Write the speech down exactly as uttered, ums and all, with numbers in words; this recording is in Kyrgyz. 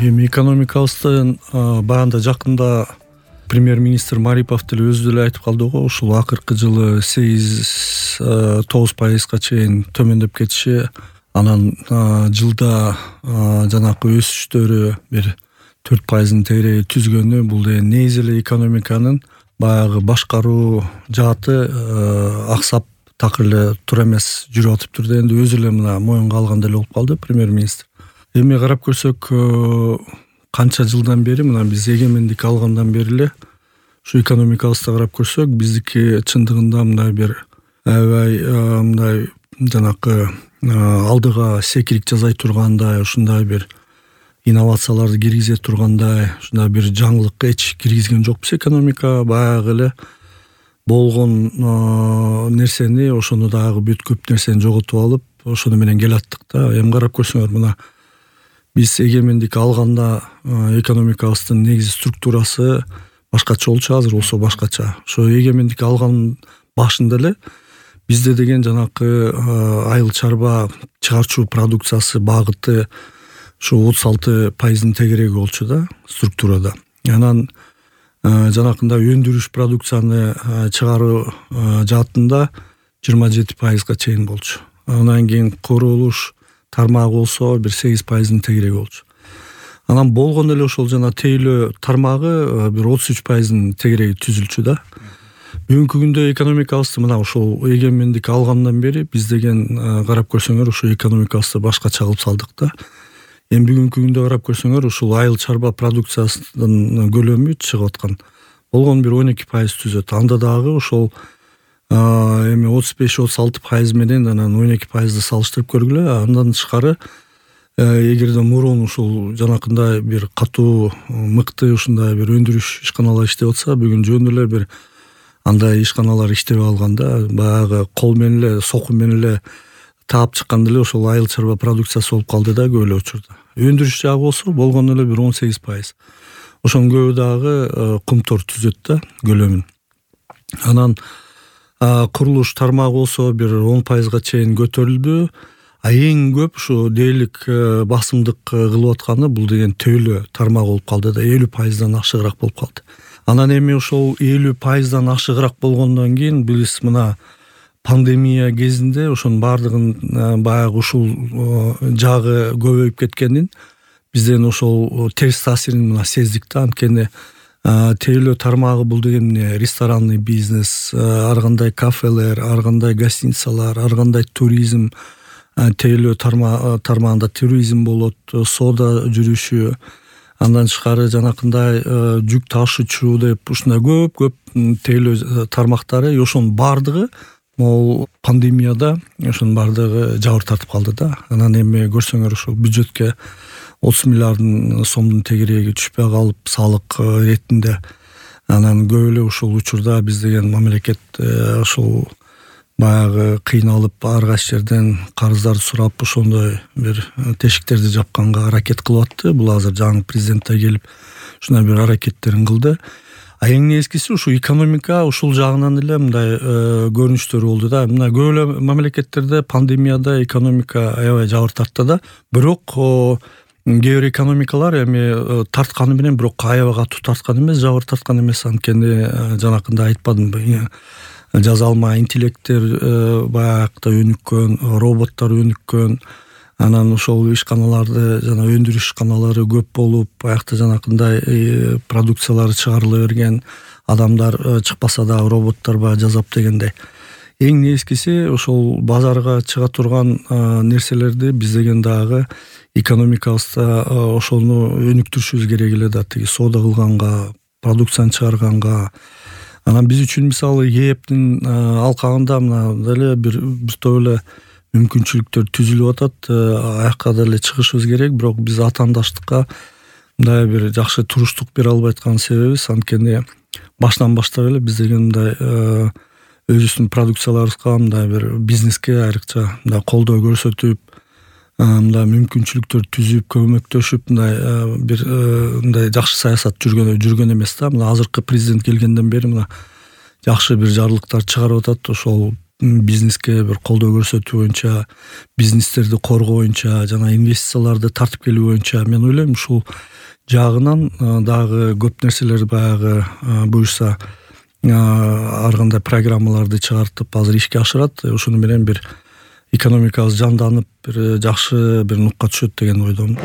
Эми экономикабыздын баягында жакында премьер-министр Марипов деле өзү деле айтып калды го, ушул акыркы жылы сегиз тогуз пайызга чейин төмөндөп кетиши, анан жылда жанакы өсүштөрү бир төрт пайыздын тегереги түзгөнү, бул деген негизи эле экономиканын баягы башкаруу жааты аксап такыр эле тура эмес жүрүп атыптыр дегенди өзү эле мына моюнга алган деле болуп калды премьер-министр. Эми карап көрсөк, канча жылдан бери, мына биз эгемендик алгандан бери эле ушу экономикабызды карап көрсөк, биздики чындыгында мындай бир аябай мындай жанакы алдыга секирик жасай тургандай, ушундай бир инновацияларды киргизе тургандай, ушундай бир жаңылык эч киргизген жокпуз. Экономика баягы эле болгон нерсени, ошону дагы бүт көп нерсени жоготуп алып, ошону менен келаттык да. Эми карап көрсөңөр, мына биз эгемендик алганда экономикабыздын негизи структурасы башкача болчу, азыр болсо башкача. Ошо эгемендик алган башында эле бизде деген жанакы айыл чарба чыгарчу продукциясы багыты ушу отуз алты пайыздын тегереги болчу да структурада. Анан жанакында өндүрүш продукцияны чыгаруу жаатында жыйырма жети пайызга чейин болчу. Анан кийин курулуш тармагы болсо бир сегиз пайыздын тегереги болчу. Анан болгон эле ошол жана тейлөө тармагы бир отуз үч пайыздын тегереги түзүлчү да. Бүгүнкү күндө экономикабызды мына ушул эгемендик алгандан бери биз деген карап көрсөңөр ушу экономикабызды башкача кылып салдык да. Эми бүгүнкү күндө карап көрсөңөр, ушул айыл чарба продукциясынын көлөмү чыгып аткан болгон бир он эки пайыз түзөт. Анда дагы ошол эми отуз беш отуз алты пайыз менен анан он эки пайызды салыштырып көргүлө. Андан тышкары эгерде мурун ушул жанакындай бир катуу мыкты ушундай бир өндүрүш ишканалар иштеп атса, бүгүн жөн эле бир андай ишканалар иштебей калганда, баягы кол менен эле, соку менен эле таап чыкканда эле ошол айыл чарба продукциясы болуп калды да көп эле учурда. Өндүрүш жагы болсо болгон эле бир он сегиз пайыз. Ошонун көбү дагы кумтор түзөт да көлөмүн. Анан курулуш тармагы болсо бир он пайызга чейин көтөрүлдү. А эң көп ушу дээрлик басымдык кылып атканы бул деген тейлөө тармагы болуп калды да, элүү пайыздан ашыгыраак болуп калды. Анан эми ошол элүү пайыздан ашыгыраак болгондон кийин биз мына пандемия кезинде ошонун баардыгын баягы ушул жагы көбөйүп кеткенин бизден ошол терс таасирин мына сездик да. Анткени тейлөө тармагы бул деген ресторанный бизнес, ар кандай кафелер, ар кандай гостиницалар, ар кандай туризм, тейлөө тармагында туризм болот, соода жүрүшү, андан тышкары жанакындай жүк ташуучу деп ушундай көп-көп тейлөө тармактары, ошонун баардыгы могул пандемияда ошонун баардыгы жабыр тартып калды да. Анан эми көрсөңөр ошол бюджетке отуз миллиардын сомдун тегереги түшпөй калып, салык иретинде. Анан көп эле ушул учурда биз деген мамлекет ошол баягы кыйналып, ар кайсы жерден карыздарды сурап, ошондой бир тешиктерди жапканга аракет кылып атты. Бул азыр жаңы президент да келип ушундай бир аракеттерин кылды. А эң негизгиси ушу экономика ушул жагынан эле мындай көрүнүштөр болду да. Мына көп эле мамлекеттерде пандемияда экономика аябай жабыр тартты да. Бирок кээ бир экономикалар эми тартканы менен, бирок аябай катуу тарткан эмес, жабыр тарткан эмес. Анткени жанакында айтпадымбы, жазалма интеллекттер баягы өнүккөн, роботтор өнүккөн. Анан ошол ишканаларды, жана өндүрүш ишканалары көп болуп, аякта жанакындай продукциялары чыгарыла берген, адамдар чыкпаса да роботтор баягы жасап дегендей. Эң негизгиси ошол базарга чыга турган нерселерди биз деген дагы экономикабызда ошону өнүктүрүшүбүз керек эле да, тиги соода кылганга, продукцияны чыгарганга. Анан биз үчүн мисалы ээптин алкагында мына деле бир бир топ эле мүмкүнчүлүктөр түзүлүп атат. Аякка деле чыгышыбыз керек, бирок биз атаандаштыкка мындай бир жакшы туруштук бере албай аткан себебибиз, анткени баштан баштап эле биз деген мындай өзүбүздүн продукцияларыбызга мындай бир бизнеске айрыкча мындай колдоо көрсөтүп, мындай мүмкүнчүлүктөр түзүп, көмөктөшүп, мындай бир мындай жакшы саясат жүргөн жүргөн эмес да. Мына азыркы президент келгенден бери мына жакшы бир жарлыктар чыгарып атат. Ошол бизнеске бир колдоо көрсөтүү боюнча, бизнестерди коргоо боюнча жана инвестицияларды тартып келүү боюнча мен ойлойм ушул жагынан дагы көп нерселер баягы буюрса ар кандай программаларды чыгартып азыр ишке ашырат. Ошону менен бир экономикабыз жанданып, бир жакшы бир нукка түшөт деген ойдомун.